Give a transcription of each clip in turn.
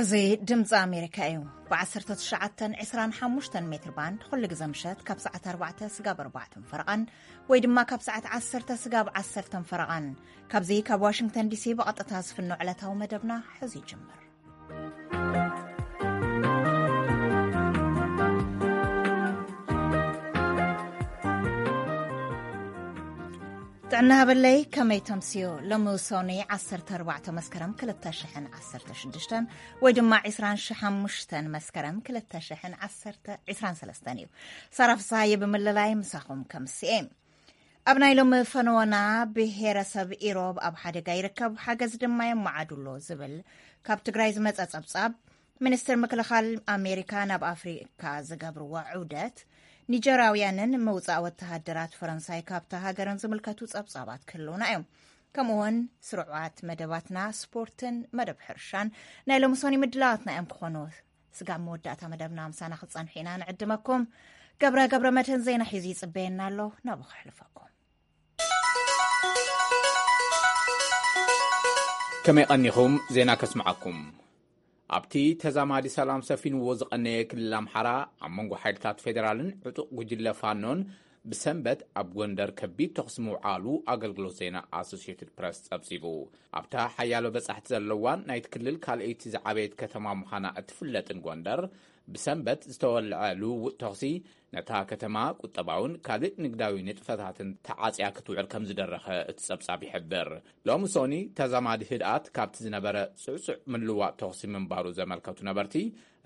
እዚ ድምፂ ኣሜሪካ እዩ። ብ19፣ 25 ሜትር ባንድ ኩሉ ግዜ ምሸት ካብ ሰዓት ኣርባዕተ ስጋብ ኣርባዕተን ፈረቓን ወይ ድማ ካብ ሰዓት ዓሰርተ ስጋብ ዓሰርተን ፈረቓን፣ ካብዚ ካብ ዋሽንግተን ዲሲ ብቐጥታ ዝፍኖ ዕለታዊ መደብና ሕዚ ይጅምር። ጥዕና ሃበለይ፣ ከመይ ተምስዮ? ሎሚ ሶኒ ዓሰርተ ኣርባዕተ መስከረም ክልተ ሽሕን ዓሰርተ ሽዱሽተን ወይ ድማ ዕስራን ሓሙሽተን መስከረም ክልተ ሽሕን ዓሰርተ፣ ዕስራን ሰለስተን እዩ። ሳራ ፍስሃየ ብምልላይ ምሳኹም ከምስኤ። ኣብ ናይ ሎሚ ፈነወና፣ ብሄረሰብ ኢሮብ ኣብ ሓደጋ ይርከብ፣ ሓገዝ ድማ የመዓዱ ኣሎ ዝብል ካብ ትግራይ ዝመጸ ጸብጻብ፣ ሚኒስትር ምክልኻል ኣሜሪካ ናብ ኣፍሪካ ዝገብርዎ ዑደት፣ ኒጀራውያንን ምውፃእ ወተሃደራት ፈረንሳይ ካብታ ሃገርን ዝምልከቱ ጸብጻባት ክህልውና እዮም። ከምኡውን ስሩዓት መደባትና ስፖርትን መደብ ሕርሻን ናይ ሎምሶኒ ምድላዋትና እዮም ክኾኑ። ስጋብ መወዳእታ መደብና ምሳና ክትጸንሑ ኢና ንዕድመኩም። ገብረ ገብረ መድህን ዜና ሒዙ ይጽበየና ኣሎ፣ ናብኡ ከሕልፈኩም። ከመይ ቀኒኹም? ዜና ከስምዓኩም። ኣብቲ ተዛማዲ ሰላም ሰፊንዎ ዝቐነየ ክልል ኣምሓራ፣ ኣብ መንጎ ሓይልታት ፌደራልን ዕጡቕ ጉጅለ ፋኖን ብሰንበት ኣብ ጎንደር ከቢድ ተኹሲ ምውዓሉ ኣገልግሎት ዜና ኣሶሲየትድ ፕረስ ጸብጺቡ። ኣብታ ሓያሎ በጻሕቲ ዘለዋን ናይቲ ክልል ካልኣይቲ ዝዓበየት ከተማ ምዃና እትፍለጥን ጎንደር፣ ብሰንበት ዝተወልዐ ልውውጥ ተኹሲ ነታ ከተማ ቁጠባውን ካልእ ንግዳዊ ንጥፈታትን ተዓጽያ ክትውዕል ከም ዝደረኸ እቲ ጸብጻብ ይሕብር። ሎሚ ሶኒ ተዛማዲ ህድኣት ካብቲ ዝነበረ ጽዕጹዕ ምልዋጥ ተኹሲ ምንባሩ ዘመልከቱ ነበርቲ፣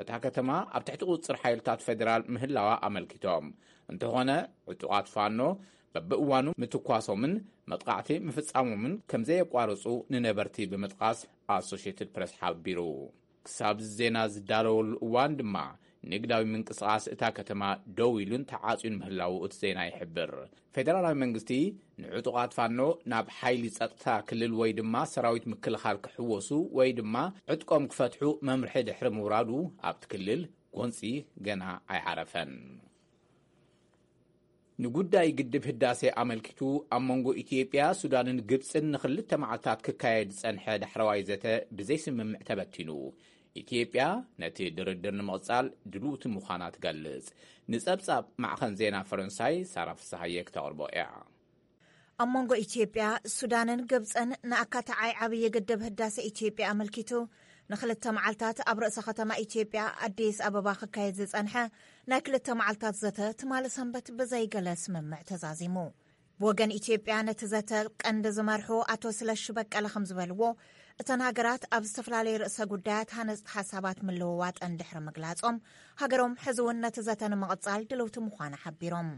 እታ ከተማ ኣብ ትሕቲ ቁጽጽር ሓይልታት ፌደራል ምህላዋ ኣመልኪቶም። እንተኾነ፣ ዕጡቓት ፋኖ በብእዋኑ ምትኳሶምን መጥቃዕቲ ምፍጻሞምን ከም ዘየቋርጹ ንነበርቲ ብምጥቃስ ኣሶሽየትድ ፕረስ ሓቢሩ። ክሳብ ዜና ዝዳለወሉ እዋን ድማ፣ ንግዳዊ ምንቅስቓስ እታ ከተማ ደው ኢሉን ተዓጽዩን ምህላዉ እቲ ዜና ይሕብር። ፌደራላዊ መንግስቲ ንዕጡቓት ፋኖ ናብ ሓይሊ ጸጥታ ክልል ወይ ድማ ሰራዊት ምክልኻል ክሕወሱ ወይ ድማ ዕጥቆም ክፈትሑ መምርሒ ድሕሪ ምውራዱ፣ ኣብቲ ክልል ጎንጺ ገና ኣይዓረፈን። ንጉዳይ ግድብ ህዳሴ ኣመልኪቱ፣ ኣብ መንጎ ኢትዮጵያ፣ ሱዳንን ግብጽን ንኽልተ መዓልታት ክካየድ ዝጸንሐ ዳሕረዋይ ዘተ ብዘይስምምዕ ተበቲኑ። ኢትዮጵያ ነቲ ድርድር ንምቕጻል ድልውቲ ምዃና ትገልጽ። ንጸብጻብ ማዕኸን ዜና ፈረንሳይ ሳራ ፍስሃየ ክተቕርቦ እያ። ኣብ መንጎ ኢትዮጵያ፣ ሱዳንን ግብጽን ንኣካታዓይ ዓብዪ ግድብ ህዳሴ ኢትዮጵያ ኣመልኪቱ፣ ንኽልተ መዓልታት ኣብ ርእሰ ከተማ ኢትዮጵያ ኣዲስ ኣበባ ክካየድ ዝጸንሐ ናይ ክልተ መዓልታት ዘተ ትማሊ ሰንበት ብዘይገለ ስምምዕ ተዛዚሙ። ብወገን ኢትዮጵያ ነቲ ዘተ ቀንዲ ዝመርሑ ኣቶ ስለሺ በቀለ ከም ዝበልዎ፣ እተን ሃገራት ኣብ ዝተፈላለዩ ርእሰ ጉዳያት ሃነጽቲ ሓሳባት ምልውዋጠን ድሕሪ ምግላጾም፣ ሃገሮም ሕዚ እውን ነቲ ዘተ ንምቕጻል ድልውቲ ምዃና ሓቢሮም።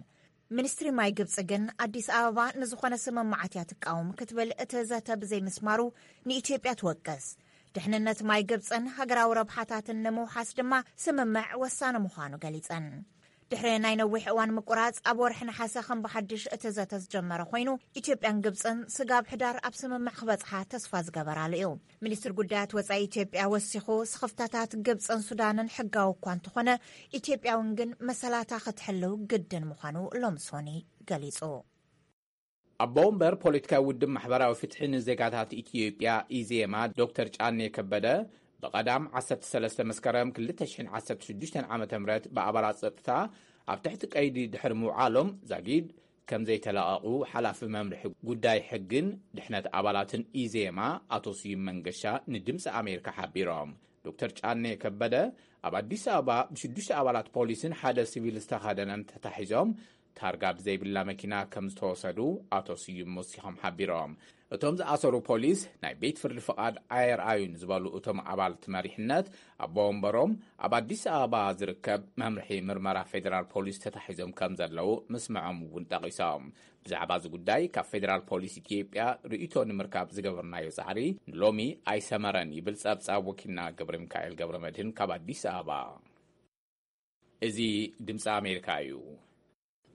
ሚኒስትሪ ማይ ግብጺ ግን፣ ኣዲስ ኣበባ ንዝኾነ ስምምዓት እያ ትቃወም ክትብል፣ እቲ ዘተ ብዘይምስማሩ ንኢትዮጵያ ትወቅስ። ድሕንነት ማይ ግብጽን ሃገራዊ ረብሓታትን ንምውሓስ ድማ ስምምዕ ወሳኒ ምዃኑ ገሊጸን። ድሕሪ ናይ ነዊሕ እዋን ምቁራጽ፣ ኣብ ወርሒ ነሓሰ ከም ብሓድሽ እቲ ዘተ ዝጀመረ ኮይኑ፣ ኢትዮጵያን ግብጽን ስጋብ ሕዳር ኣብ ስምምዕ ክበጽሓ ተስፋ ዝገበራሉ እዩ። ሚኒስትር ጉዳያት ወጻኢ ኢትዮጵያ ወሲኹ፣ ስኽፍታታት ግብጽን ሱዳንን ሕጋዊ እኳ እንተኾነ፣ ኢትዮጵያ እውን ግን መሰላታ ክትሕልው ግድን ምዃኑ ሎምሶኒ ገሊጹ። ኣቦ ወንበር ፖለቲካዊ ውድብ ማሕበራዊ ፍትሒ ንዜጋታት ኢትዮጵያ፣ ኢዜማ፣ ዶክተር ጫኔ ከበደ፣ ብቐዳም ዓሰርተ ሰለስተ መስከረም ክልተ ሽሕን ዓሰርተ ሽዱሽተን ዓመተ ምህረት ብኣባላት ጸጥታ ኣብ ትሕቲ ቀይዲ ድሕሪ ምውዓሎም፣ ዛጊድ ከም ዘይተለቐቑ ሓላፊ መምርሒ ጉዳይ ሕግን ድሕነት ኣባላትን ኢዜማ ኣቶ ስዩም መንገሻ ንድምፂ ኣሜሪካ ሓቢሮም። ዶክተር ጫኔ ከበደ ኣብ ኣዲስ ኣበባ ብሽዱሽተ ኣባላት ፖሊስን ሓደ ሲቪል ዝተኸደነን ተታሒዞም፣ ታርጋ ብዘይብላ መኪና ከም ዝተወሰዱ ኣቶ ስዩም ወሲኾም ሓቢሮም። እቶም ዝኣሰሩ ፖሊስ ናይ ቤት ፍርዲ ፍቓድ ኣየርኣዩን ዝበሉ እቶም ኣባላት መሪሕነት፣ ኣቦ ወንበሮም ኣብ ኣዲስ ኣበባ ዝርከብ መምርሒ ምርመራ ፌደራል ፖሊስ ተታሒዞም ከም ዘለዉ ምስምዖም እውን ጠቒሶም። ብዛዕባ እዚ ጉዳይ ካብ ፌደራል ፖሊስ ኢትዮጵያ ርእይቶ ንምርካብ ዝገበርናዮ ጻዕሪ ንሎሚ ኣይሰመረን ይብል ጸብጻብ ወኪልና ገብረ ሚካኤል ገብረ መድህን ካብ ኣዲስ ኣበባ። እዚ ድምፂ ኣሜሪካ እዩ።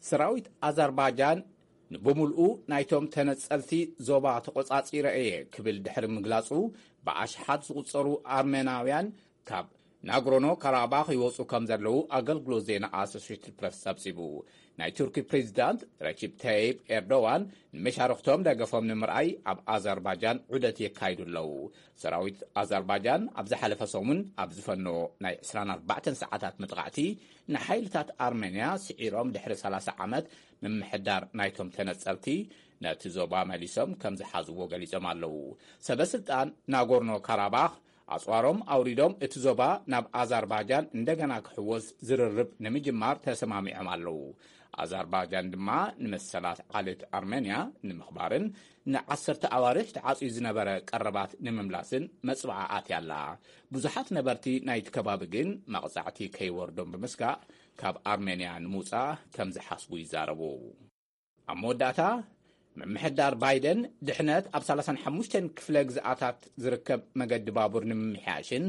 ሰራዊት ኣዘርባይጃን ንብምልኡ ናይቶም ተነጸልቲ ዞባ ተቖጻጺረ እየ ክብል ድሕሪ ምግላጹ፣ ብኣሽሓት ዝቑጸሩ ኣርመናውያን ካብ ናጎርኖ ካራባኽ ይወጹ ከም ዘለዉ ኣገልግሎት ዜና ኣሶሽትድ ፕረስ ጸብጺቡ። ናይ ቱርኪ ፕሬዚዳንት ረቺብ ተይብ ኤርዶዋን ንመሻርኽቶም ደገፎም ንምርኣይ ኣብ ኣዘርባጃን ዑደት የካይዱ ኣለዉ። ሰራዊት ኣዘርባጃን ኣብ ዝሓለፈ ሰሙን ኣብ ዝፈነዎ ናይ ዕስራን ኣርባዕተን ሰዓታት መጥቓዕቲ ንሓይልታት ኣርሜንያ ስዒሮም ድሕሪ ሰላሳ ዓመት ምምሕዳር ናይቶም ተነጸልቲ ነቲ ዞባ መሊሶም ከም ዝሓዝዎ ገሊጾም ኣለዉ። ሰበ ስልጣን ናጎርኖ ካራባኽ ኣጽዋሮም ኣውሪዶም እቲ ዞባ ናብ ኣዛርባጃን እንደገና ክሕወስ ዝርርብ ንምጅማር ተሰማሚዖም ኣለዉ። ኣዛርባጃን ድማ ንመሰላት ዓሌት ኣርሜንያ ንምኽባርን ንዓሰርተ ኣዋርሕ ተዓጽዩ ዝነበረ ቀረባት ንምምላስን መጽብዓ ኣትያ ኣላ። ብዙሓት ነበርቲ ናይቲ ከባቢ ግን መቕጻዕቲ ከይወርዶም ብምስጋእ ካብ ኣርሜንያ ንምውጻእ ከም ዝሓስቡ ይዛረቡ። ኣብ መወዳእታ፣ ምምሕዳር ባይደን ድሕነት ኣብ ሰላሳን ሓሙሽተን ክፍለ ግዝኣታት ዝርከብ መገዲ ባቡር ንምምሕያሽን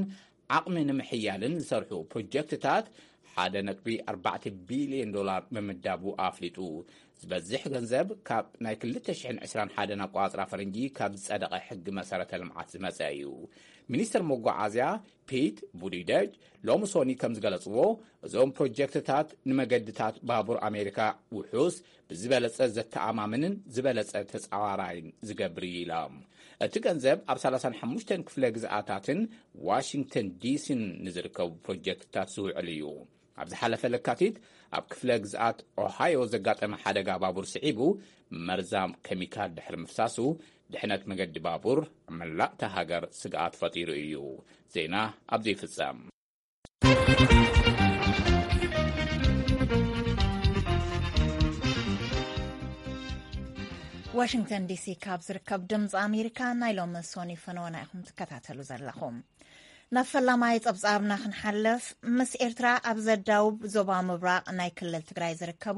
ዓቕሚ ንምሕያልን ዝሰርሑ ፕሮጀክትታት ሓደ ነጥቢ ኣርባዕተ ቢልዮን ዶላር ምምዳቡ ኣፍሊጡ። ዝበዝሕ ገንዘብ ካብ ናይ ክልተ ሽሕን ዕስራን ሓደን ኣቆጻጽራ ፈረንጂ ካብ ዝጸደቐ ሕጊ መሰረተ ልምዓት ዝመጸ እዩ። ሚኒስትር መጓዓዝያ ፒት ቡቲጀጅ ሎሚ ሶኒ ከም ዝገለጽዎ፣ እዞም ፕሮጀክትታት ንመገድታት ባቡር ኣሜሪካ ውሑስ፣ ብዝበለጸ ዘተኣማምንን ዝበለጸ ተጻዋራይን ዝገብር እዩ ኢሎም። እቲ ገንዘብ ኣብ ሰላሳን ሓሙሽተን ክፍለ ግዝኣታትን ዋሽንግተን ዲሲን ንዝርከቡ ፕሮጀክትታት ዝውዕል እዩ። ኣብ ዝሓለፈ ለካቲት ኣብ ክፍለ ግዝኣት ኦሃዮ ዘጋጠመ ሓደጋ ባቡር ስዒቡ መርዛም ኬሚካል ድሕሪ ምፍሳሱ ድሕነት መገዲ ባቡር ኣብ መላእታ ሃገር ስግኣት ፈጢሩ እዩ። ዜና ኣብዚ ይፍጸም። ዋሽንግተን ዲሲ ካብ ዝርከብ ድምፂ ኣሜሪካ ናይ ሎሚ ሶኒ ፈነወና ኢኹም ትከታተሉ ዘለኹም። ናብ ፈላማይ ጸብጻብና ክንሓልፍ፣ ምስ ኤርትራ ኣብ ዘዳውብ ዞባ ምብራቕ ናይ ክልል ትግራይ ዝርከቡ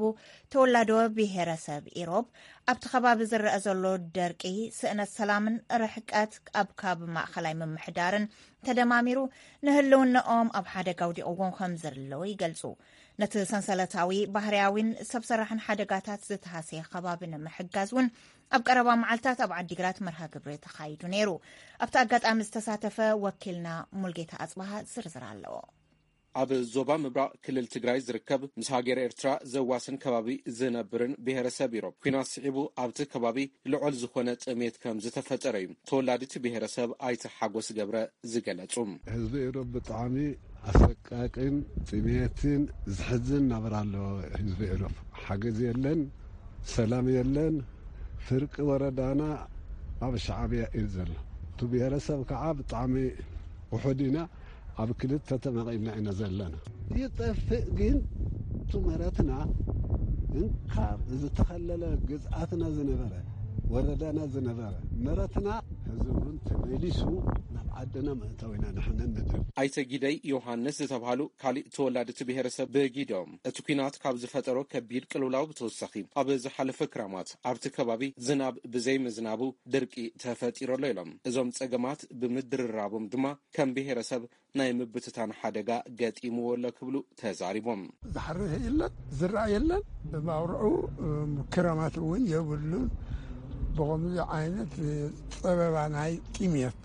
ተወላዶ ብሄረሰብ ኢሮብ ኣብቲ ከባቢ ዝረአ ዘሎ ደርቂ፣ ስእነት ሰላምን ርሕቀት ኣብ ካብ ማእኸላይ ምምሕዳርን ተደማሚሩ ንህልውናኦም ኣብ ሓደጋ ኣውዲቕዎም ከም ዘለዉ ይገልጹ። ነቲ ሰንሰለታዊ ባህርያዊን ሰብ ሰራሕን ሓደጋታት ዝተሃስየ ከባቢ ንምሕጋዝ እውን ኣብ ቀረባ መዓልታት ኣብ ዓዲግራት መርሃ ግብሪ ተኻይዱ ነይሩ። ኣብቲ ኣጋጣሚ ዝተሳተፈ ወኪልና ሙልጌታ ኣጽባሃ ዝርዝር ኣለዎ። ኣብ ዞባ ምብራቕ ክልል ትግራይ ዝርከብ ምስ ሃገር ኤርትራ ዘዋስን ከባቢ ዝነብርን ብሄረሰብ ኢሮብ፣ ኲናት ስዒቡ ኣብቲ ከባቢ ልዑል ዝኾነ ጥሜት ከም ዝተፈጠረ እዩ ተወላዲቲ ብሄረሰብ ኣይተ ሓጎስ ገብረ ዝገለጹ። ህዝቢ ኢሮብ ብጣዕሚ ኣሰቃቂን ጥሜትን ዝሕዝን ናብራ ኣለዎ። ህዝቢ ኢሮብ ሓገዝ የለን፣ ሰላም የለን። ፍርቂ ወረዳና ኣብ ሻዕብያ እዩ ዘሎ። እቲ ብሄረሰብ ከዓ ብጣዕሚ ውሑድ ኢና። ኣብ ክልተ ተመቒልና ኢና ዘለና። ይጠፍእ ግን እቲ መረትና እንካብ ዝተኸለለ ግዝኣትና ዝነበረ፣ ወረዳና ዝነበረ መረትና፣ ሕዚ እውን ተመሊሱ ናብ ዓድና ምእታው ኢና ንሕና ንደሊ። ኣይተ ጊደይ ዮሃንስ ዝተብሃሉ ካሊእ ተወላዲ እቲ ብሄረሰብ ብጊዶም፣ እቲ ኲናት ካብ ዝፈጠሮ ከቢድ ቅልውላው ብተወሳኺ፣ ኣብ ዝሓለፈ ክራማት ኣብቲ ከባቢ ዝናብ ብዘይምዝናቡ ድርቂ ተፈጢሩ ኣሎ ኢሎም። እዞም ጸገማት ብምድርራቦም ድማ ከም ብሄረሰብ ናይ ምብትታን ሓደጋ ገጢምዎ ኣሎ ክብሉ ተዛሪቦም። ዝሓርስ የለን፣ ዝረኣ የለን። ብማውርዑ፣ እም፣ ክረማት እውን የብሉን። ብኸምዚ ዓይነት ጸበባ ናይ ጥሜት፣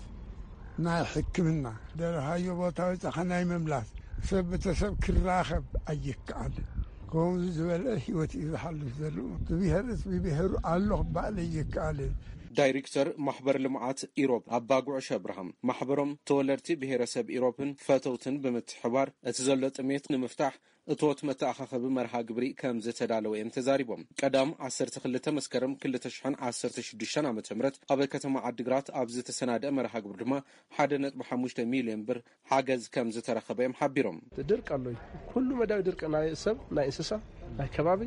ናይ ሕክምና፣ ደለኻዮ ቦታ ወጻኻ ናይ ምምላስ፣ ሰብ ብተሰብ ክራኸብ ኣይከኣልን። ከምዚ ዝበለ ህይወት እዩ ዝሓልፍ ዘሎ። ብብሄርስ ብብሄሩ ኣሎ ክበሃል ኣይከኣልን። ዳይሬክተር ማሕበር ልምዓት ኢሮብ ኣባ ጉዕሽ ኣብርሃም፣ ማሕበሮም ተወለድቲ ብሄረሰብ ኢሮብን ፈተውትን ብምትሕባር እቲ ዘሎ ጥሜት ንምፍታሕ እቶት መተኣኻኸቢ መርሃ ግብሪ ከም ዝተዳለወ እዮም ተዛሪቦም። ቀዳም ዓሰርተ ክልተ መስከረም ክልተ ሽሕን ዓሰርተ ሽዱሽተን ዓመተ ምህረት ኣብ ከተማ ዓዲግራት ኣብ ዝተሰናደአ መርሃ ግብሪ ድማ ሓደ ነጥቢ ሓሙሽተ ሚልዮን ብር ሓገዝ ከም ዝተረኸበ እዮም ሓቢሮም። ድርቅ ኣሎ እዩ። ኩሉ መዳዊ ድርቂ፣ ናይ ሰብ፣ ናይ እንስሳ፣ ናይ ከባቢ፣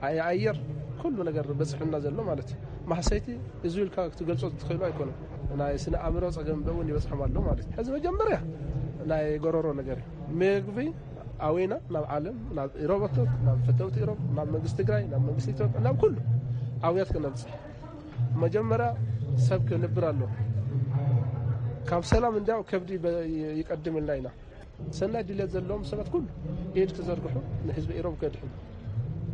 ናይ ኣየር፣ ኩሉ ነገር በፅሑና ዘሎ ማለት እዩ። ማህሰይቲ እዚ ኢልካ ክትገልጾ ትኽእሉ ኣይኮነን። ናይ ስነ ኣእምሮ ጸገም እውን ይበጽሖም ኣሎ ማለት እዩ። ሕዚ መጀመርያ ናይ ጎረሮ ነገር እዩ። ምግቢ ኣውይና ናብ ዓለም፣ ናብ ኢሮቦቶት፣ ናብ ፈተውቲ ኢሮብ፣ ናብ መንግስቲ ትግራይ፣ ናብ መንግስቲ ኢትዮጵያ፣ ናብ ኩሉ ኣውያት ክነብጽሕ። መጀመርያ ሰብ ክንብር ኣሎ። ካብ ሰላም እንዲያው ከብዲ በ-፣ ይቀድምልና ኢና። ሰናይ ድሌት ዘለዎም ሰባት ኩሉ ኢድ ክዘርግሑ ንህዝቢ ኢሮብ ከድሕኑ።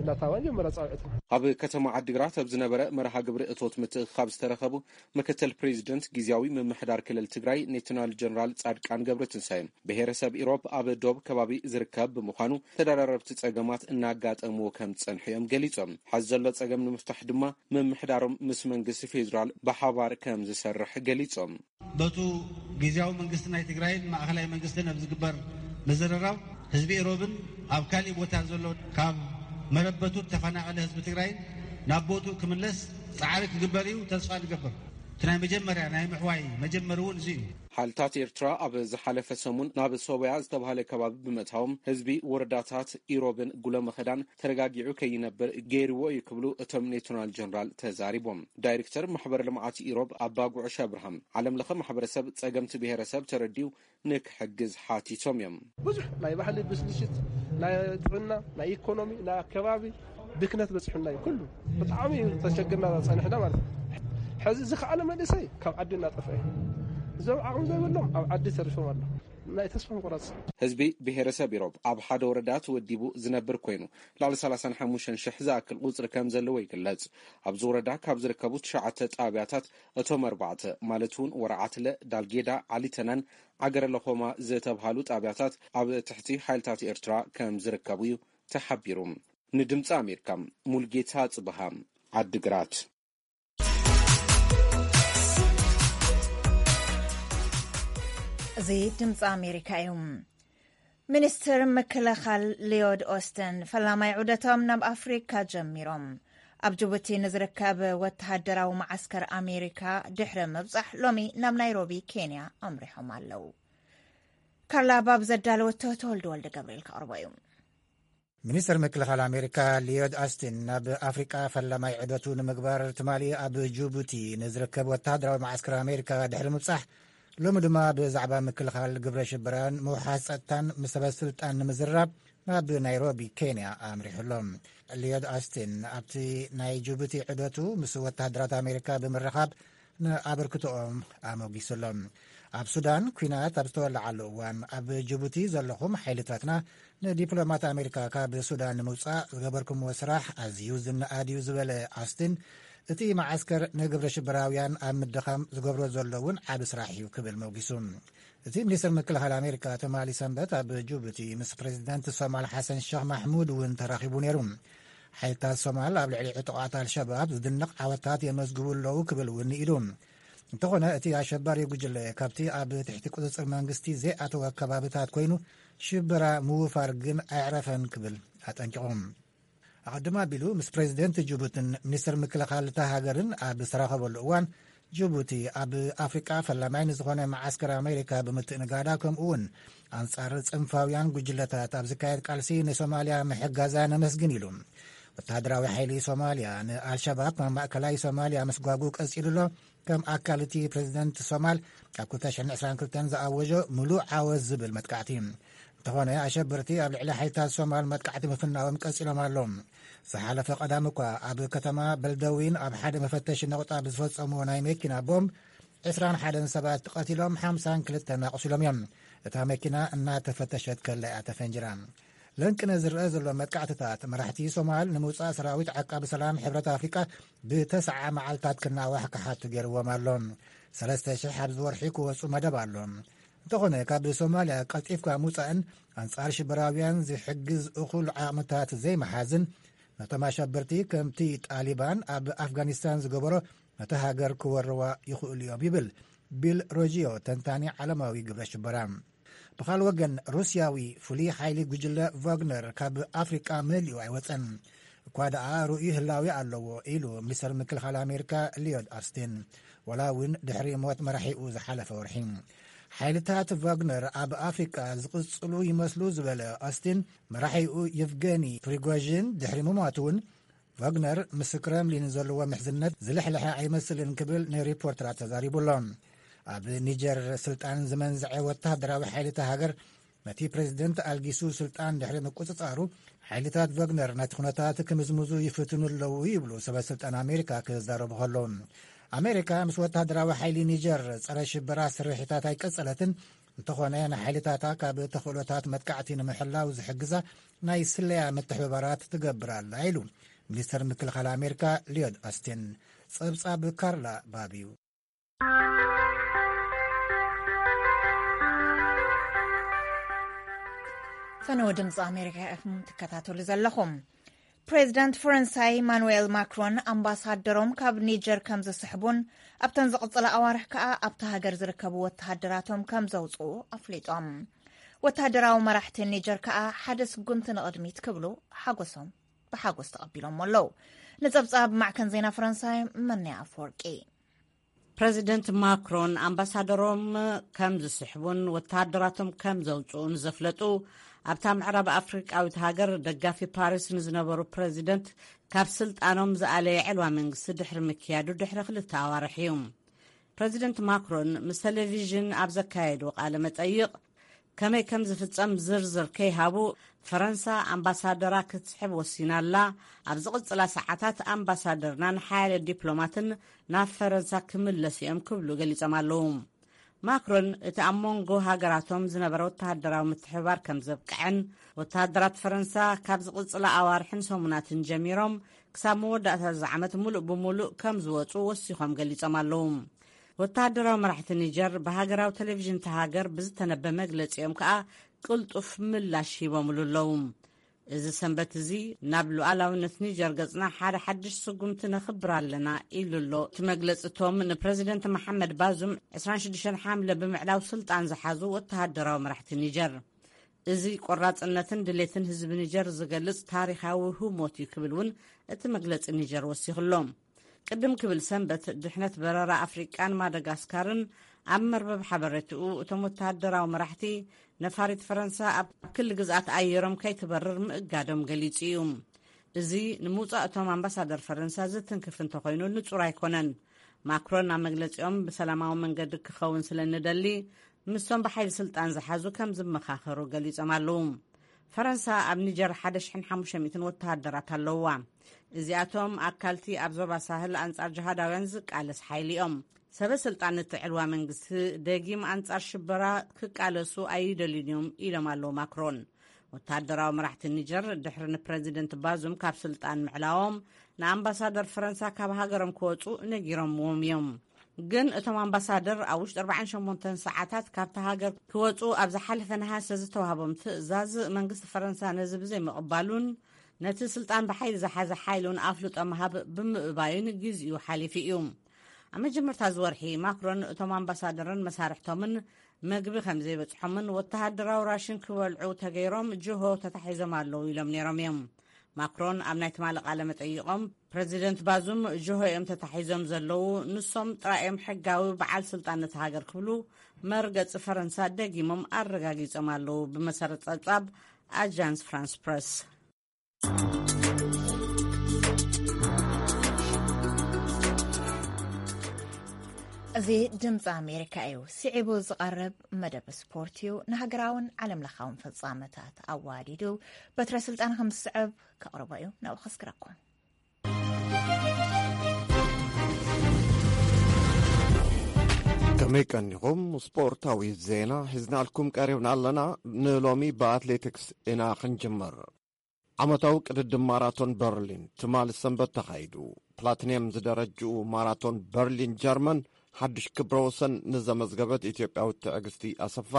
እናታዋ ጀመረ ጻውዒትና። ኣብ ከተማ ዓዲግራት ኣብ ዝነበረ መርሃ ግብሪ እቶት ምትእኽኻብ ዝተረኸቡ ምክትል ፕሬዚደንት ግዝያዊ ምምሕዳር ክልል ትግራይ ሌተናል ጀነራል ጻድቃን ገብረትንሳኤ፣ ብሄረሰብ ኢሮብ ኣብ ዶብ ከባቢ ዝርከብ ብምዃኑ ተደራረብቲ ጸገማት እናጋጠምዎ ከም ዝጸንሑ እዮም ገሊጾም። ሐዚ ዘሎ ጸገም ንምፍታሕ ድማ ምምሕዳሮም ምስ መንግስቲ ፌዴራል ብሓባር ከም ዝሰርሕ ገሊጾም። በቱ ግዝያዊ መንግስቲ ናይ ትግራይን ማእኸላይ መንግስትን ኣብ ዝግበር ምዝርራብ ህዝቢ ኢሮብን ኣብ ካሊእ ቦታ ዘሎ ካብ መረበቱ ተፈናቐለ ህዝቢ ትግራይን ናብ ቦትኡ ክምለስ ጻዕሪ ክግበር እዩ ተስፋ ንገብር። እቲ ናይ መጀመርያ ናይ ምሕዋይ መጀመሪ እውን እዚ እዩ። ሓይልታት ኤርትራ ኣብ ዝሓለፈ ሰሙን ናብ ሶበያ ዝተባህለ ከባቢ ብምእታዎም ህዝቢ ወረዳታት ኢሮብን ጉለመኸዳን ተረጋጊዑ ከይነብር ገይርዎ እዩ ክብሉ እቶም ሌተናል ጀነራል ተዛሪቦም። ዳይሬክተር ማሕበር ልምዓት ኢሮብ ኣባ ጉዕሽ ኣብርሃም ዓለም ለኸ ማሕበረሰብ ጸገምቲ ብሄረሰብ ተረዲኡ ንክሕግዝ ሓቲቶም እዮም። ብዙሕ ናይ ባህሊ ብስልሽት፣ ናይ ጥዕና፣ ናይ ኢኮኖሚ፣ ናይ ኣከባቢ ብክነት በፂሑና እዩ። ኩሉ ብጣዕሚ እዩ ተሸግርና ጸኒሕና ማለት እዩ። ሕዚ ዝኸኣለ መንእሰይ ካብ ዓዲ እናጠፍአ እዩ። እዞም ዓቕሚ ዘይብሎም ኣብ ዓዲ ተሪፎም ኣሎ። ናይ ተስፋ ምቁራፅ። ህዝቢ ብሄረሰብ ኢሮብ ኣብ ሓደ ወረዳ ተወዲቡ ዝነብር ኮይኑ፣ ልዕሊ ሰላሳን ሓሙሽተን ሽሕ ዝኣክል ቁፅሪ ከም ዘለዎ ይግለጽ። ኣብዚ ወረዳ ካብ ዝርከቡ ትሽዓተ ጣብያታት እቶም ኣርባዕተ ማለት እውን ወረዓትለ፣ ዳልጌዳ፣ ዓሊተናን ዓገረ ለኾማ ዝተብሃሉ ጣብያታት ኣብ ትሕቲ ሓይልታት ኤርትራ ከም ዝርከቡ እዩ ተሓቢሩ። ንድምፂ ኣሜሪካ፣ ሙልጌታ ጽብሃ፣ ዓድግራት። እዚ ድምፂ ኣሜሪካ እዩ። ሚኒስትር ምክልኻል ሊዮድ ኦስተን ፈላማይ ዑደቶም ናብ ኣፍሪካ ጀሚሮም። ኣብ ጅቡቲ ንዝርከብ ወተሃደራዊ መዓስከር ኣሜሪካ ድሕሪ ምብጻሕ ሎሚ ናብ ናይሮቢ ኬንያ ኣምሪሖም ኣለዉ። ካርላ ባብ ዘዳለወቶ ተወልደ ወልደ ገብርኤል ከቕርቦ እዩ። ሚኒስትር ምክልኻል ኣሜሪካ ሊዮድ ኣስቲን ናብ ኣፍሪቃ ፈላማይ ዑደቱ ንምግባር ትማሊ ኣብ ጅቡቲ ንዝርከብ ወተሃደራዊ መዓስከር ኣሜሪካ ድሕሪ ምብጻሕ፣ ሎሚ ድማ ብዛዕባ ምክልኻል ግብረ ሽበራን ምውሓስ ጸጥታን ምስ ሰበ ስልጣን ንምዝራብ ናብ ናይሮቢ ኬንያ ኣምሪሑ ኣሎ። ሊዮድ ኣስቲን ኣብቲ ናይ ጅቡቲ ዑደቱ ምስ ወተሃደራት ኣሜሪካ ብምርኻብ ንኣበርክቶኦም ኣሞጊሱ ኣሎ። ኣብ ሱዳን ኲናት ኣብ ዝተወለዓሉ እዋን ኣብ ጅቡቲ ዘለኹም ሓይልታትና ንዲፕሎማት ኣሜሪካ ካብ ሱዳን ንምውጻእ ዝገበርኩምዎ ስራሕ ኣዝዩ ዝነኣድ እዩ ዝበለ ኣስቲን፣ እቲ መዓስከር ንግብረ ሽበራውያን ኣብ ምድኻም ዝገብሮ ዘሎ እውን ዓቢ ስራሕ እዩ ክብል መውጊሱ። እቲ ሚኒስትር ምክልኻል ኣሜሪካ ትማሊ ሰንበት ኣብ ጅቡቲ ምስ ፕሬዚደንት ሶማል ሓሰን ሸኽ ማሕሙድ እውን ተራኺቡ ነይሩ። ሓይልታት ሶማል ኣብ ልዕሊ ዕጡቓት ኣልሸባብ ዝድነቕ ዓወታት የመዝግቡ ኣለዉ ክብል እውን ንኢዱ። እንተኾነ እቲ ኣሸባሪ ጉጅለ ካብቲ ኣብ ትሕቲ ቁጽጽር መንግስቲ ዘይኣተወ ከባብታት ኮይኑ ሽበራ ምውፋር ግን ኣየዕረፈን ክብል ኣጠንቂቑ። ኣቐድም ኣቢሉ ምስ ፕሬዚደንት ጅቡትን ሚኒስትር ምክልኻል እታ ሃገርን ኣብ ዝተራኸበሉ እዋን፣ ጅቡቲ ኣብ ኣፍሪቃ ፈላማይ ንዝኾነ መዓስከር ኣሜሪካ ብምትእንጋዳ፣ ከምኡ እውን ኣንጻር ጽንፋውያን ጉጅለታት ኣብ ዝካየድ ቃልሲ ንሶማልያ ምሕጋዛ ነመስግን ኢሉ። ወተሃደራዊ ሓይሊ ሶማልያ ንኣልሸባብ ካብ ማእከላይ ሶማልያ ምስጓጉ ቀጺሉ ኣሎ። ከም ኣካል እቲ ፕሬዚደንት ሶማል ኣብ ክልተ ሽሕን ዕስራን ክልተን ዝኣወጆ ምሉእ ዓወት ዝብል መጥቃዕቲ። እንተኾነ ኣሸበርቲ ኣብ ልዕሊ ሓይልታት ሶማል መጥቃዕቲ ምፍናዎም ቀጺሎም ኣለዉ። ዝሓለፈ ቀዳም እኳ ኣብ ከተማ በልደዊን ኣብ ሓደ መፈተሺ ነቑጣ ብዝፈጸምዎ ናይ መኪና ቦምብ ዕስራን ሓደን ሰባት ተቐቲሎም ሓምሳን ክልተን ኣቑሲሎም እዮም። እታ መኪና እናተፈተሸት ከላ እያ ተፈንጅራ። ለንቅነ ዝረአ ዘሎ መጥቃዕትታት መራሕቲ ሶማል ንምውጻእ ሰራዊት ዓቃቢ ሰላም ሕብረት ኣፍሪቃ ብተስዓ መዓልታት ክናዋሕ ክሓቱ ገይርዎም ኣሎ። ሰለስተ ሽሕ ኣብዚ ወርሒ ክወጹ መደብ ኣሎ። እንተኾነ ካብ ሶማልያ ቀልጢፍካ ምውጻእን ኣንጻር ሽበራውያን ዝሕግዝ እኹል ዓቕምታት ዘይመሓዝን ነቶም ኣሸበርቲ ከምቲ ጣሊባን ኣብ ኣፍጋኒስታን ዝገበሮ ነታ ሃገር ክወርዋ ይኽእሉ እዮም ይብል ቢል ሮጂዮ፣ ተንታኒ ዓለማዊ ግብረ ሽበራ። ብኻል ወገን ሩስያዊ ፍሉይ ሓይሊ ጉጅለ ቫግነር ካብ ኣፍሪቃ መሊኡ ኣይወጸን። እኳ ደኣ ርኡይ ህላዊ ኣለዎ ኢሉ ሚኒስተር ምክልኻል ኣሜሪካ ሊዮድ ኣስቲን፣ ወላ እውን ድሕሪ ሞት መራሒኡ ዝሓለፈ ወርሒ። ሓይልታት ቫግነር ኣብ ኣፍሪቃ ዝቕጽሉ ይመስሉ ዝበለ ኣስቲን፣ መራሒኡ የቭገኒ ፕሪጎዥን ድሕሪ ምሟቱ እውን ቫግነር ምስ ክረምሊን ዘለዎ ምሕዝነት ዝልሕልሐ ኣይመስልን ክብል ንሪፖርተራት ተዛሪቡ ኣሎ። ኣብ ኒጀር ስልጣን ዝመንዝዐ ወተሃደራዊ ሓይሊ እታ ሃገር ነቲ ፕሬዚደንት ኣልጊሱ ስልጣን ድሕሪ ምቁጽጻሩ፣ ሓይልታት ቫግነር ነቲ ኩነታት ክምዝምዙ ይፍትኑ ኣለዉ ይብሉ ሰበ ስልጣን ኣሜሪካ ክዛረቡ ከለዉ። ኣሜሪካ ምስ ወተሃደራዊ ሓይሊ ኒጀር ጸረ ሽበራ ስርሒታት ኣይቀጸለትን፣ እንተኾነ፣ ንሓይልታታ ካብ ተኽእሎታት መጥቃዕቲ ንምሕላው ዝሕግዛ ናይ ስለያ ምትሕብባራት ትገብር ኣላ ኢሉ ሚኒስተር ምክልኻል ኣሜሪካ ሊዮድ ኦስቲን። ጸብጻብ ካርላ ባብ እዩ። ፈነወ ድምፂ ኣሜሪካ ኢኹም ትከታተሉ ዘለኹም። ፕሬዚዳንት ፈረንሳይ ኢማኑኤል ማክሮን ኣምባሳደሮም ካብ ኒጀር ከም ዝስሕቡን ኣብተን ዝቕፅላ ኣዋርሕ ከኣ ኣብታ ሃገር ዝርከቡ ወተሃደራቶም ከም ዘውፅኡ ኣፍሊጦም። ወተሃደራዊ መራሕቲ ኒጀር ከኣ ሓደ ስጉምቲ ንቕድሚት ክብሉ ሓጎሶም ብሓጎስ ተቐቢሎሞ ኣለዉ። ንጸብጻብ ማዕከን ዜና ፈረንሳይ መነያ ኣፈወርቂ። ፕረዚደንት ማክሮን ኣምባሳደሮም ከም ዝስሕቡን ወተሃደራቶም ከም ዘውፅኡን ዘፍለጡ፣ ኣብታ ምዕራብ ኣፍሪቃዊት ሃገር ደጋፊ ፓሪስ ንዝነበሩ ፕረዚደንት ካብ ስልጣኖም ዝኣለየ ዕልዋ መንግስቲ ድሕሪ ምክያዱ ድሕሪ ክልተ ኣዋርሕ እዩ። ፕረዚደንት ማክሮን ምስ ቴሌቪዥን ኣብ ዘካየድዎ ቃለ መጠይቕ፣ ከመይ ከም ዝፍጸም ዝርዝር ከይሃቡ፣ ፈረንሳ ኣምባሳደራ ክትስሕብ ወሲና ኣላ። ኣብ ዝቕጽላ ሰዓታት ኣምባሳደርናን ሓያለ ዲፕሎማትን ናብ ፈረንሳ ክምለሱ እዮም ክብሉ ገሊጾም ኣለዉ። ማክሮን እቲ ኣብ መንጎ ሃገራቶም ዝነበረ ወተሃደራዊ ምትሕብባር ከም ዘብቅዐን፣ ወተሃደራት ፈረንሳ ካብ ዝቕጽላ ኣዋርሕን ሰሙናትን ጀሚሮም ክሳብ መወዳእታ እዚ ዓመት ሙሉእ ብሙሉእ ከም ዝወጹ ወሲኾም ገሊጾም ኣለዉ። ወተሃደራዊ መራሕቲ ኒጀር ብሃገራዊ ቴሌቪዥን እታ ሃገር ብዝተነበ መግለጺኦም ከኣ ቅልጡፍ ምላሽ ሂቦምሉ ኣለዉ። እዚ ሰንበት እዚ ናብ ሉዓላውነት ኒጀር ገጽና ሓደ ሓድሽ ስጉምቲ ነኽብር ኣለና ኢሉ ኣሎ እቲ መግለጺ። እቶም ንፕረዚደንት መሓመድ ባዙም ዕስራን ሽዱሽተን ሓምለ ብምዕላው ስልጣን ዝሓዙ ወተሃደራዊ መራሕቲ ኒጀር፣ እዚ ቆራጽነትን ድሌትን ህዝቢ ኒጀር ዝገልጽ ታሪኻዊ ህሞት እዩ ክብል እውን እቲ መግለጺ ኒጀር ወሲኹ ኣሎ። ቅድም ክብል ሰንበት ድሕነት በረራ ኣፍሪቃን ማደጋስካርን ኣብ መርበብ ሓበሬትኡ፣ እቶም ወተሃደራዊ መራሕቲ ነፋሪት ፈረንሳ ኣብ ክሊ ግዝኣት ኣየሮም ከይትበርር ምእጋዶም ገሊጹ እዩ። እዚ ንምውጻእ እቶም ኣምባሳደር ፈረንሳ ዝትንክፍ እንተኾይኑ ንጹር ኣይኮነን። ማክሮን ኣብ መግለጺኦም፣ ብሰላማዊ መንገዲ ክኸውን ስለ እንደሊ፣ ምስቶም ብሓይሊ ስልጣን ዝሓዙ ከም ዝመኻኸሩ ገሊጾም ኣለዉ። ፈረንሳ ኣብ ኒጀር ሓደ ሽሕን ሓሙሽተ ሚእትን ወተሃደራት ኣለውዋ። እዚኣቶም ኣካልቲ ኣብ ዞባ ሳህል ኣንጻር ጅሃዳውያን ዝቃለስ ሓይሊ እዮም። ሰበ ስልጣን እቲ ዕልዋ መንግስቲ ደጊም ኣንጻር ሽበራ ክቃለሱ ኣይደልዩን እዮም ኢሎም ኣለዉ ማክሮን። ወተሃደራዊ መራሕቲ ኒጀር ድሕሪ ንፕረዚደንት ባዙም ካብ ስልጣን ምዕላዎም፣ ንኣምባሳደር ፈረንሳ ካብ ሃገሮም ክወጹ ነጊሮምዎም እዮም። ግን እቶም ኣምባሳደር ኣብ ውሽጢ ኣርባዓን ሸሞንተን ሰዓታት ካብቲ ሃገር ክወጹ ኣብ ዝሓለፈ ነሃሰ ዝተዋህቦም ትእዛዝ መንግስቲ ፈረንሳ ነዚ ብዘይምቕባሉን ነቲ ስልጣን ብሓይሊ ዝሓዘ ሓይሊ እውን ኣፍልጦ ምሃብ ብምእባዩን ግዜኡ ሓሊፉ እዩ። ኣብ መጀመርታ እዚ ወርሒ ማክሮን እቶም ኣምባሳደርን መሳርሕቶምን መግቢ ከም ዘይበጽሖምን ወተሃደራዊ ራሽን ክበልዑ ተገይሮም ጅሆ ተታሒዞም ኣለዉ ኢሎም ነይሮም እዮም። ማክሮን ኣብ ናይ ትማሊ ቃለ መጠይቖም፣ ፕረዚደንት ባዙም ጅሆ እዮም ተታሒዞም ዘለዉ፣ ንሶም ጥራይ እዮም ሕጋዊ በዓል ስልጣን ነቲ ሃገር ክብሉ መርገጺ ፈረንሳ ደጊሞም ኣረጋጊጾም ኣለዉ፣ ብመሰረት ጸብጻብ ኣጃንስ ፍራንስ ፕረስ። እዚ ድምፂ ኣሜሪካ እዩ። ስዒቡ ዝቐርብ መደብ ስፖርት እዩ። ንሃገራውን ዓለም ለኻውን ፍጻመታት ኣዋዲዱ በትረ ስልጣን ከም ዝስዕብ ከቕርቦ እዩ። ናብኡ ከስክረኩም። ከመይ ቀኒኹም? ስፖርታዊ ዜና ሒዝናልኩም ቀሪብና ኣለና። ንሎሚ ብኣትሌቲክስ ኢና ክንጅምር። ዓመታዊ ቅድድም ማራቶን በርሊን ትማሊ ሰንበት ተኻይዱ። ፕላቲንየም ዝደረጅኡ ማራቶን በርሊን ጀርመን ሓድሽ ክብረ ወሰን ንዘመዝገበት ኢትዮጵያዊት ትዕግስቲ ኣሰፋ፣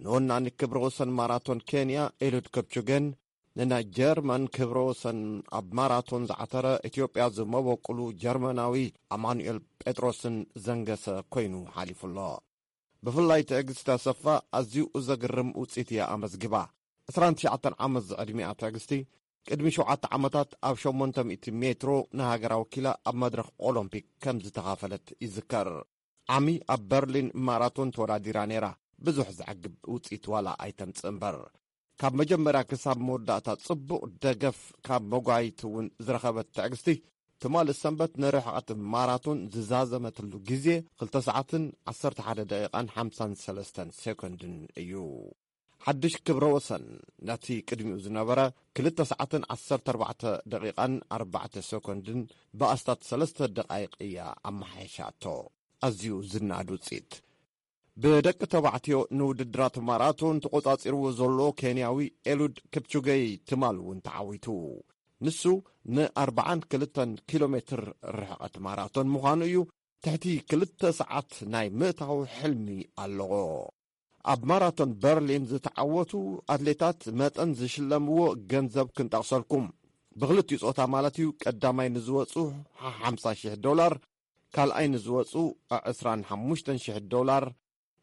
ንወናኒ ክብረ ወሰን ማራቶን ኬንያ ኤሉድ ከፕቹጌን፣ ንናይ ጀርመን ክብረ ወሰን ኣብ ማራቶን ዝዓተረ ኢትዮጵያ ዝመበቁሉ ጀርመናዊ ኣማኑኤል ጴጥሮስን ዘንገሰ ኮይኑ ሓሊፉ ኣሎ። ብፍላይ ትዕግስቲ ኣሰፋ ኣዝዩ ዘግርም ውጽኢት እያ ኣመዝጊባ። ዕስራን ትሽዓተን ዓመት ዝዕድሚኣ ትዕግስቲ፣ ቅድሚ ሸውዓተ ዓመታት ኣብ ሸሞንተ ሚእቲ ሜትሮ ንሃገራ ወኪላ ኣብ መድረኽ ኦሎምፒክ ከም ዝተኻፈለት ይዝከር። ዓሚ ኣብ በርሊን ማራቶን ተወዳዲራ ነይራ፣ ብዙሕ ዘዕግብ ውጽኢት ዋላ ኣይተምጽእ እምበር። ካብ መጀመርያ ክሳብ መወዳእታ ጽቡቕ ደገፍ ካብ መጓይት እውን ዝረኸበት ትዕግስቲ፣ ትማሊ ሰንበት ንርሕቐት ማራቶን ዝዛዘመትሉ ግዜ ክልተ ሰዓትን ዓሰርተ ሓደ ደቂቓን ሓምሳን ሰለስተን ሴኮንድን እዩ። ሓድሽ ክብረ ወሰን ነቲ ቅድሚኡ ዝነበረ ክልተ ሰዓትን ዓሰርተ ኣርባዕተ ደቂቓን ኣርባዕተ ሴኮንድን ብኣስታት ሰለስተ ደቓይቕ እያ ኣመሓይሻቶ። ኣዝዩ ዝነኣድ ውጽኢት። ብደቂ ተባዕትዮ ንውድድራት ማራቶን ተቖጻጺርዎ ዘሎ ኬንያዊ ኤሉድ ክፕቹገይ ትማል እውን ተዓዊቱ። ንሱ ን42 ኪሎ ሜትር ርሕቐት ማራቶን ምዃኑ እዩ። ትሕቲ ክልተ ሰዓት ናይ ምእታው ሕልሚ ኣለዎ። ኣብ ማራቶን በርሊን ዝተዓወቱ ኣትሌታት መጠን ዝሽለምዎ ገንዘብ ክንጠቕሰልኩም። ብኽልቲኡ ጾታ ማለት እዩ፣ ቀዳማይ ንዝወጹ ሓምሳ ሽሕ ዶላር፣ ካልኣይ ንዝወጹ ዕስራን ሓሙሽተን ሽሕ ዶላር፣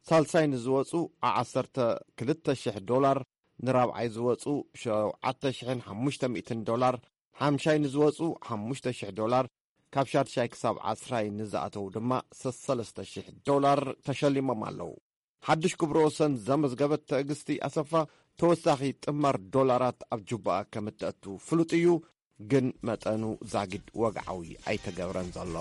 ሳልሳይ ንዝወጹ ዓሰርተ ክልተ ሽሕ ዶላር፣ ንራብዓይ ዝወጹ ሸውዓተ ሽሕን ሓሙሽተ ሚእትን ዶላር፣ ሓምሻይ ንዝወጹ ሓሙሽተ ሽሕ ዶላር፣ ካብ ሻድሻይ ክሳብ ዓስራይ ንዝኣተው ድማ ሰለስተ ሽሕ ዶላር ተሸሊሞም ኣለዉ። ሓድሽ ክብረ ወሰን ዘመዝገበት ትዕግስቲ ኣሰፋ ተወሳኺ ጥማር ዶላራት ኣብ ጁባኣ ከም እተእቱ ፍሉጥ እዩ፣ ግን መጠኑ ዛጊድ ወግዓዊ ኣይተገብረን ዘሎ።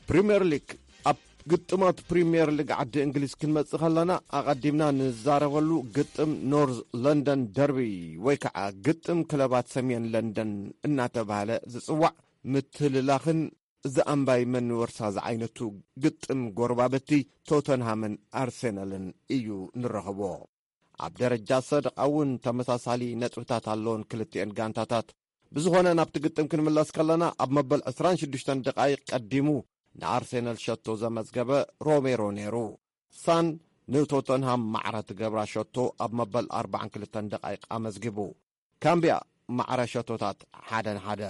ፕሪምየር ሊግ። ኣብ ግጥማት ፕሪምየር ሊግ ዓዲ እንግሊዝ ክንመጽእ ከለና፣ ኣቐዲምና ንዛረበሉ ግጥም ኖርዝ ለንደን ደርቢ ወይ ከዓ ግጥም ክለባት ሰሜን ለንደን እናተባህለ ዝጽዋዕ፣ ምትልላኽን እዚ ኣምባይ መን ወርሳ ዝዓይነቱ ግጥም ጎረባብቲ ቶተንሃምን ኣርሴናልን እዩ ንረኽቦ። ኣብ ደረጃ ሰደቓ እውን ተመሳሳሊ ነጥብታት ኣለዎን ክልቲኤን ጋንታታት። ብዝኾነ ናብቲ ግጥም ክንምለስ ከለና፣ ኣብ መበል ዕስራን ሽዱሽተን ደቓይቕ ቀዲሙ ንኣርሴናል ሸቶ ዘመዝገበ ሮሜሮ ነይሩ። ሳን ንቶተንሃም ማዕረ ትገብራ ሸቶ ኣብ መበል ኣርባዓን ክልተን ደቓይቕ ኣመዝጊቡ። ካምቢያ ማዕረ ሸቶታት ሓደን ሓደ።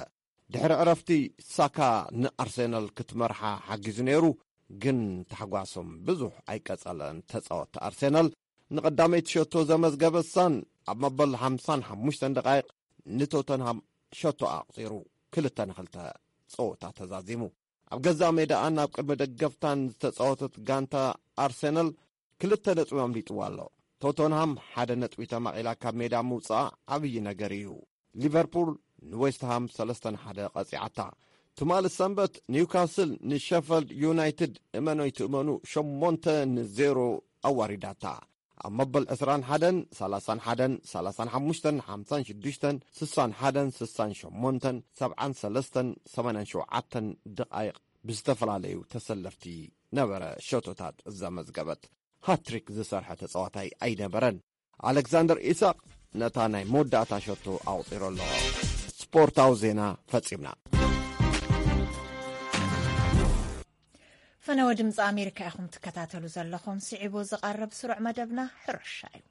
ድሕሪ ዕረፍቲ ሳካ ንኣርሴናል ክትመርሓ ሓጊዙ ነይሩ፣ ግን ታሕጓሶም ብዙሕ ኣይቀጸለን። ተጻወትቲ ኣርሴናል ንቐዳመይቲ ሸቶ ዘመዝገበ ሳን ኣብ መበል ሓምሳን ሓሙሽተን ደቓይቕ ንቶተንሃም ሸቶ ኣቑጺሩ ክልተ ንኽልተ ጸወታ ተዛዚሙ። ኣብ ገዛእ ሜዳኣን ኣብ ቅድሚ ደገፍታን ዝተጻወተት ጋንታ ኣርሴናል ክልተ ነጥቢ ኣምሊጥዋ ኣሎ። ቶተንሃም ሓደ ነጥቢ ተማቒላ ካብ ሜዳ ምውጽኣ ዓብዪ ነገር እዩ። ሊቨርፑል ንዌስትሃም ሰለስተ ንሓደ ቀጺዓታ። ትማሊ ሰንበት ኒውካስል ንሸፈልድ ዩናይትድ እመኖይ ትእመኑ ሸሞንተ ንዜሮ ኣዋሪዳታ። ኣብ መበል ዕስራን ሓደን፣ ሰላሳን ሓደን፣ ሰላሳን ሓሙሽተን፣ ሓምሳን ሽዱሽተን፣ ስሳን ሓደን፣ ስሳን ሸሞንተን፣ ሰብዓን ሰለስተን፣ ሰማንያን ሸውዓተን ደቓይቕ ብዝተፈላለዩ ተሰለፍቲ ነበረ ሸቶታት ዘመዝገበት። ሃትሪክ ዝሰርሐ ተጻዋታይ ኣይነበረን። ኣሌክሳንደር ኢሳቕ ነታ ናይ መወዳእታ ሸቶ ኣቑጺሩ ኣሎ። ስፖርታዊ ዜና ፈጺምና። ፈነወ ድምፂ ኣሜሪካ ኢኹም ትከታተሉ ዘለኹም። ስዒቡ ዝቐርብ ስሩዕ መደብና ሕርሻ እዩ።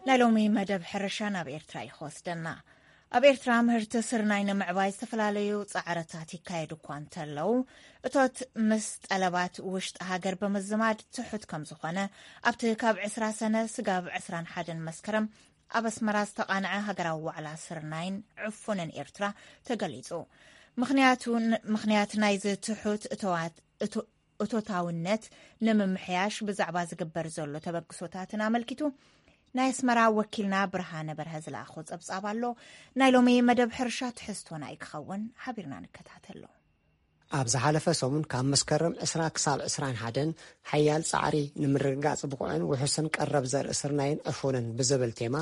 ናይ ሎሚ መደብ ሕርሻ ናብ ኤርትራ እዩ ክወስደና። ኣብ ኤርትራ ምህርቲ ስርናይ ንምዕባይ ዝተፈላለዩ ጻዕርታት ይካየዱ እኳ እንተለዉ፣ እቶት ምስ ጠለባት ውሽጢ ሃገር ብምዝማድ ትሑት ከም ዝኾነ፣ ኣብቲ ካብ ዕስራ ሰነ ስጋብ ዕስራን ሓደን መስከረም ኣብ ኣስመራ ዝተቓንዐ ሃገራዊ ዋዕላ ስርናይን ዕፉንን ኤርትራ ተገሊጹ። ምኽንያቱ፣ ምኽንያት ናይዚ ትሑት እተዋት-፣ እቶ-፣ እቶታውነት ንምምሕያሽ ብዛዕባ ዝግበር ዘሎ ተበግሶታትን ኣመልኪቱ ናይ ኣስመራ ወኪልና ብርሃነ በርሀ ዝለኣኾ ጸብጻብ ኣሎ። ናይ ሎሚ መደብ ሕርሻ ትሕዝቶና እዩ ክኸውን። ሓቢርና ንከታተሎ። ኣብ ዝሓለፈ ሰሙን ካብ መስከረም ዕስራ ክሳብ ዕስራን ሓደን ሓያል ጻዕሪ ንምርግጋጽ ብቑዕን ውሑስን ቀረብ ዘርኢ ስርናይን ዕፉንን ብዝብል ቴማ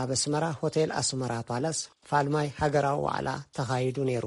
ኣብ ኣስመራ ሆቴል ኣስመራ ፓላስ ፋልማይ ሃገራዊ ዋዕላ ተኻይዱ ነይሩ።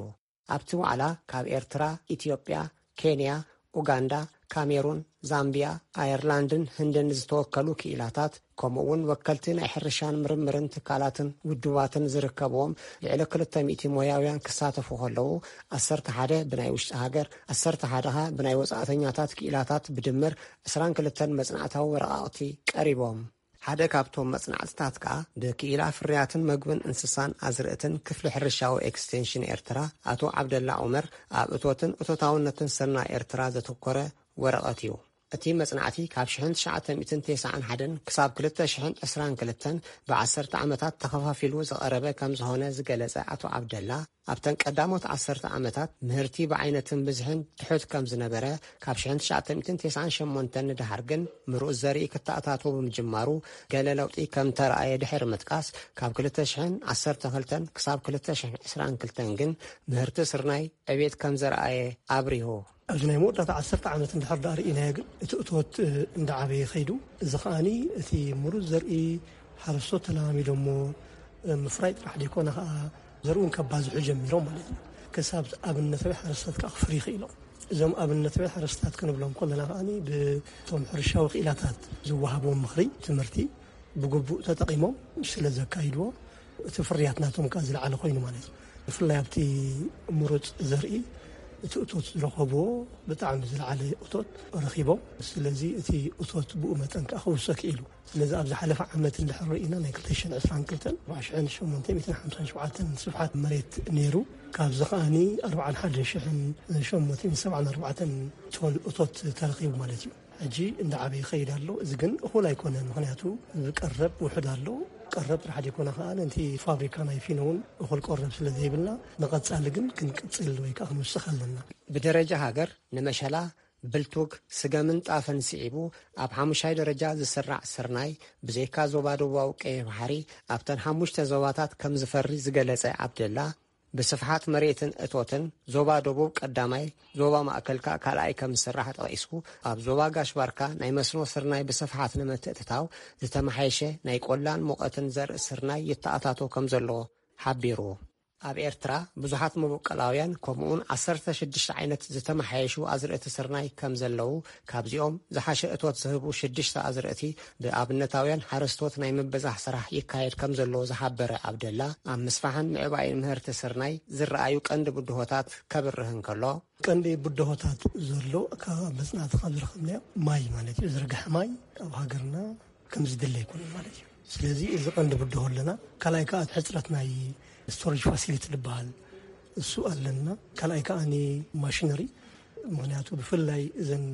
ኣብቲ ዋዕላ ካብ ኤርትራ፣ ኢትዮጵያ፣ ኬንያ፣ ኡጋንዳ፣ ካሜሩን፣ ዛምቢያ፣ ኣየርላንድን ህንድን ዝተወከሉ ክኢላታት፣ ከምኡ እውን ወከልቲ ናይ ሕርሻን ምርምርን ትካላትን ውድባትን ዝርከብዎም ልዕሊ ክልተ ሚእቲ ሞያውያን ክሳተፉ ከለዉ፣ ዓሰርተ ሓደ ብናይ ውሽጢ ሃገር፣ ዓሰርተ ሓደ ኸኣ ብናይ ወጻእተኛታት ክኢላታት ብድምር ዕስራን ክልተን መጽናዕታዊ ወረቓቕቲ ቀሪቦም። ሓደ ካብቶም መጽናዕትታት ከኣ ብክኢላ ፍርያትን መግብን እንስሳን ኣዝርእትን ክፍሊ ሕርሻዊ ኤክስቴንሽን ኤርትራ ኣቶ ዓብደላ ዑመር ኣብ እቶትን እቶታውነትን ስርናይ ኤርትራ ዘተኮረ ወረቐት እዩ። እቲ መጽናዕቲ ካብ ሽሕን ትሽዓተ ሚእትን ተስዓን ሓደን ክሳብ ክልተ ሽሕን ዕስራን ክልተን ብዓሰርተ ዓመታት ተኸፋፊሉ ዝቐረበ ከም ዝኾነ ዝገለጸ ኣቶ ዓብደላ፣ ኣብተን ቀዳሞት ዓሰርተ ዓመታት ምህርቲ ብዓይነትን ብዝሕን ትሑት ከም ዝነበረ፣ ካብ ሽሕን ትሽዓተ ሚእትን ተስዓን ሸሞንተን ንደሓር ግን ምሩጽ ዘርኢ ክተኣታቶ ብምጅማሩ ገለ ለውጢ ከም ተረኣየ ድሕሪ ምጥቃስ፣ ካብ ክልተ ሽሕን ዓሰርተ ክልተን ክሳብ ክልተ ሽሕን ዕስራን ክልተን ግን ምህርቲ ስርናይ ዕቤት ከም ዘረኣየ ኣብሪሁ። ኣብዚ ናይ መወዳእታ ዓሰርተ ዓመት እንድሕር ደኣ ርኢናዮ ግን እቲ እቶት እንዳዓበየ ኸይዱ፣ እዚ ኸኣኒ እቲ ምሩፅ ዘርኢ ሓረስቶት ተለማሚዶሞ ምፍራይ ጥራሕ ዘይኮነ ኸኣ ዘርኡ ከባዝሑ ጀሚሮም ማለት እዩ። ክሳብ ኣብነታዊ ሓረስቶት ከኣ ክፍርዩ ኽኢሎም። እዞም ኣብነታዊ ሓረስቶት ክንብሎም ከለና ከኣ ብቶም ሕርሻዊ ክኢላታት ዝወሃቦም ምኽሪ ትምህርቲ ብግቡእ ተጠቒሞም ስለ ዘካይድዎ እቲ ፍርያት ናቶም ከኣ ዝለዓለ ኮይኑ ማለት እዩ። ብፍላይ ኣብቲ ምሩፅ ዘርኢ እቲ እቶት ዝረኸብዎ ብጣዕሚ ዝለዓለ እቶት ረኺቦም። ስለዚ እቲ እቶት ብኡ መጠን ከኣ ክውሰኽ ክኢሉ። ስለዚ ኣብ ዝሓለፈ ዓመት እንድሕር ርኢና ናይ ክልተ ሽሕን ዕስራን ክልተን ኣርባዓ ሽሕን ሸሞንተ ሚእትን ሓምሳን ሸውዓተን ስፍሓት መሬት ነይሩ። ካብዚ ከኣኒ ኣርባዓን ሓደን ሽሕን ሸሞንተ ሚእትን ሰብዓን ኣርባዕተን ቶን እቶት ተረኺቡ ማለት እዩ። ሕጂ እንዳዓበየ ይኸይድ ኣሎ። እዚ ግን እኹል ኣይኮነን። ምኽንያቱ ቀረብ ውሑድ ኣሎ። ቀረብ ጥራሕ ዘይኮነ ከኣ ነቲ ፋብሪካ ናይ ፊኖ እውን እኹል ቀረብ ስለ ዘይብልና ንቐጻሊ ግን ክንቅጽል ወይ ከኣ ክንውስኽ ኣለና። ብደረጃ ሃገር ንመሸላ፣ ብልቱግ፣ ስገምን ጣፍን ስዒቡ ኣብ ሓሙሻይ ደረጃ ዝስራዕ ስርናይ ብዘይካ ዞባ ደቡባዊ ቀይሕ ባሕሪ ኣብተን ሓሙሽተ ዞባታት ከም ዝፈሪ ዝገለጸ ኣብደላ፣ ብስፍሓት መሬትን እቶትን ዞባ ደቡብ ቀዳማይ፣ ዞባ ማእከል ከኣ ካልኣይ ከም ዝስራሕ ጠቒሱ፣ ኣብ ዞባ ጋሽ ባርካ ናይ መስኖ ስርናይ ብስፍሓት ንምትእትታው ዝተመሓየሸ ናይ ቆላን ሙቐትን ዘርኢ ስርናይ ይተኣታቶ ከም ዘሎ ሓቢሩ። ኣብ ኤርትራ ብዙሓት መበቆላውያን ከምኡውን ዓሰርተ ሽዱሽተ ዓይነት ዝተመሓየሹ ኣዝርእቲ ስርናይ ከም ዘለዉ፣ ካብዚኦም ዝሓሸ እቶት ዝህቡ ሽዱሽተ ኣዝርእቲ ብኣብነታውያን ሓረስቶት ናይ ምብዛሕ ስራሕ ይካየድ ከም ዘሎ ዝሓበረ ኣብደላ፣ ኣብ ምስፋሕን ምዕባይን ምህርቲ ስርናይ ዝረኣዩ ቀንዲ ብድሆታት ከብርህ እንከሎ፣ ቀንዲ ብድሆታት ዘሎ ካብ መጽናዕቲ ካብ ዝረኸብናዮ ማይ ማለት እዩ። ዝርግሐ ማይ ኣብ ሃገርና ከም ዝድለ ኣይኮነን ማለት እዩ። ስለዚ እዚ ቀንዲ ብድሆ ኣለና። ካልኣይ ከኣ ሕጽረት ናይ ስቶሬጅ ፋሲሊቲ ዝበሃል እሱ ኣለና። ካልኣይ ከኣ ማሽነሪ፣ ምኽንያቱ ብፍላይ እዘን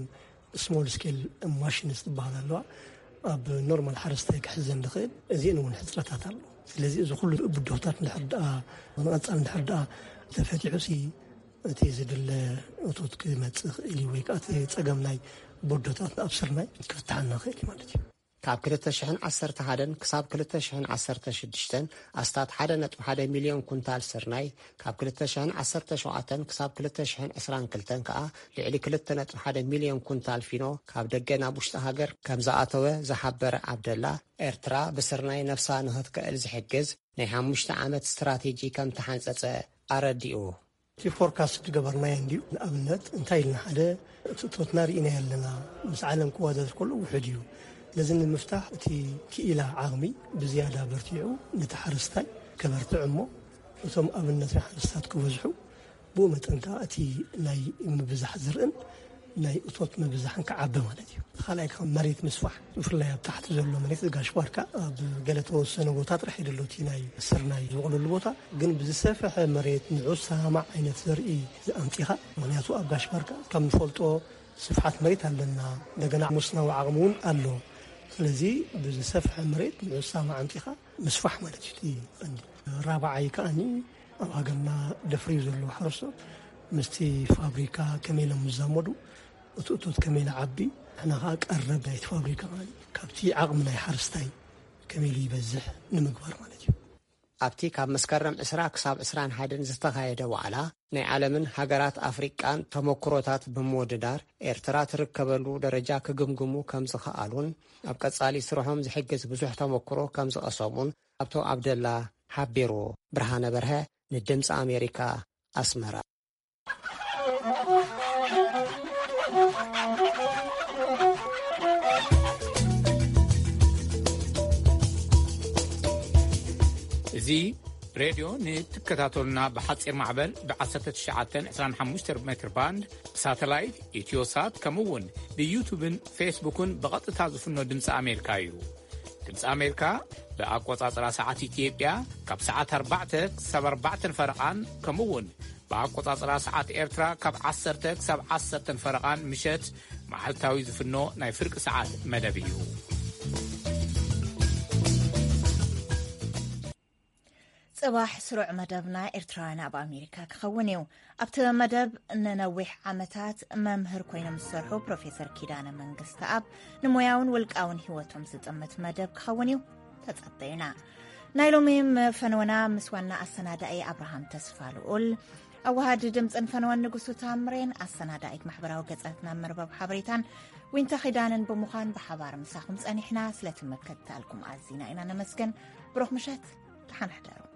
ስሞል ስኬል ማሽንስ ዝበሃል ኣለዋ፣ ኣብ ኖርማል ሓረስታይ ክሕዘን ዝኽእል፣ እዚአን እውን ሕጽረታት ኣሎ። ስለዚ እዚ ኩሉ ብድሆታት እንድሕር ደኣ ንቐጻል እንድሕር ደኣ ተፈቲሑ ሲ እቲ ዝድለ እቶት ክመጽእ ይኽእል እዩ፣ ወይ ከኣ እቲ ጸገም ናይ ብድሆታት ኣብ ስርናይ ክፍትሓልና ይኽእል እዩ ማለት እዩ። ካብ ክልተ ሽሕን ዓሰርተ ሓደን ክሳብ ክልተ ሽሕን ዓሰርተ ሽዱሽተን ኣስታት ሓደ ነጥቢ ሓደ ሚልዮን ኩንታል ስርናይ፣ ካብ ክልተ ሽሕን ዓሰርተ ሸውዓተን ክሳብ ክልተ ሽሕን ዕስራን ክልተን ከኣ ልዕሊ ክልተ ነጥቢ ሓደ ሚልዮን ኩንታል ፊኖ ካብ ደገ ናብ ውሽጢ ሃገር ከም ዝኣተወ ዝሓበረ ዓብደላ፣ ኤርትራ ብስርናይ ነፍሳ ንኽትክእል ዝሕግዝ ናይ ሓሙሽተ ዓመት ስትራቴጂ ከም ተሓንጸጸ ኣረዲኡ። እቲ ፎርካስት ዝገበርናዮ እንድዩ። ንኣብነት እንታይ ኢልና፣ ሓደ እቲ እቶትና ርኢናዮ ኣለና፣ ምስ ዓለም ክወዳደር ከሎ ውሑድ እዩ። ነዚ ንምፍታሕ እቲ ክኢላ ዓቕሚ ብዝያዳ በርቲዑ ነቲ ሓረስታይ ከበርትዕ እሞ እቶም ኣብነት ናይ ሓረስታት ክበዝሑ፣ ብኡ መጠን ከኣ እቲ ናይ ምብዛሕ ዝርእን ናይ እቶት ምብዛሕን ክዓቢ ማለት እዩ። ካልኣይ ካብ መሬት ምስፋሕ፣ ብፍላይ ኣብ ታሕቲ ዘሎ መሬት ጋሽ ባርካ ኣብ ገለ ተወሰነ ቦታ ጥራሕ እዩ ዘሎ እቲ ናይ ስርናይ ዝበቕለሉ ቦታ፣ ግን ብዝሰፍሐ መሬት ንዑ ዝሰማማዕ ዓይነት ዘርኢ ኣምጺኻ። ምኽንያቱ ኣብ ጋሽ ባርካ ከም ንፈልጦ ስፍሓት መሬት ኣለና፣ እንደገና መስኖዊ ዓቕሚ እውን ኣሎ። ስለዚ ብዝሰፍሐ መሬት ንዑ ዝሰማማዕ ኣምጺኻ ምስፋሕ ማለት እዩ እቲ ቀንዲ። ራብዓይ ከኣኒ ኣብ ሃገርና ደፍርዩ ዘለዉ ሓረስቶት ምስቲ ፋብሪካ ከመይ ኢሎም ይዛመዱ፣ እቲ እቶት ከመይ ኢሉ ዓቢ፣ ንሕና ከኣ ቀረብ ናይቲ ፋብሪካ ማለት እዩ። ካብቲ ዓቕሚ ናይ ሓረስታይ ከመይ ኢሉ ይበዝሕ ንምግባር ማለት እዩ። ኣብቲ ካብ መስከረም ዕስራ ክሳብ ዕስራን ሓደን ዝተኻየደ ዋዕላ፣ ናይ ዓለምን ሃገራት ኣፍሪቃን ተመኩሮታት ብምውድዳር፣ ኤርትራ ትርከበሉ ደረጃ ክግምግሙ ከም ዝኸኣሉን፣ ኣብ ቀጻሊ ስርሖም ዝሕግዝ ብዙሕ ተመኩሮ ከም ዝቐሰሙን ኣቶ ኣብደላ ሓቢሩ። ብርሃነ በርሀ ንድምፂ ኣሜሪካ፣ ኣስመራ። እዚ ሬድዮ ንትከታተሉና ብሓጺር ማዕበል ብ ዓሰርተ ትሽዓተ ዕስራን ሓሙሽተን ሜትር ባንድ፣ ብሳተላይት፣ ኢትዮሳት፣ ከምኡ እውን ብዩቱብን ፌስቡክን ብቐጥታ ዝፍኖ ድምፂ ኣሜሪካ እዩ። ድምፂ ኣሜሪካ ብኣቆጻጽራ ሰዓት ኢትዮጵያ ካብ ሰዓት ኣርባዕተ ክሳብ ኣርባዕተን ፈረቓን፣ ከምኡ እውን ብኣቆጻጽራ ሰዓት ኤርትራ ካብ ዓሰርተ ክሳብ ዓሰርተን ፈረቓን ምሸት መዓልታዊ ዝፍኖ ናይ ፍርቂ ሰዓት መደብ እዩ። ጽባሕ ስሩዕ መደብና ኤርትራውያን ኣብ ኣሜሪካ ክኸውን እዩ። ኣብቲ መደብ ንነዊሕ ዓመታት መምህር ኮይኖም ዝሰርሑ ፕሮፌሰር ኪዳነ መንግስተኣብ ንሞያውን ውልቃውን ህይወቶም ዝጥምት መደብ ክኸውን እዩ። ተጸበዩና። ናይ ሎሚ ፈነወና ምስ ዋና ኣሰናዳኢ ኣብርሃም ተስፋ ልኡል፣ ኣዋሃዲ ድምፅን ፈነወን ንጉሱ ታምሬን ኣሰናዳኢት ማሕበራዊ ገጻትና መርበብ ሓበሬታን ዊንታ ኺዳንን ብምዃን ብሓባር ምሳኹም ጸኒሕና። ስለቲ ምክትታልኩም ኣዚና ኢና ነመስገን። ብሩኽ ምሸት፣ ደሓን ሕደሩ።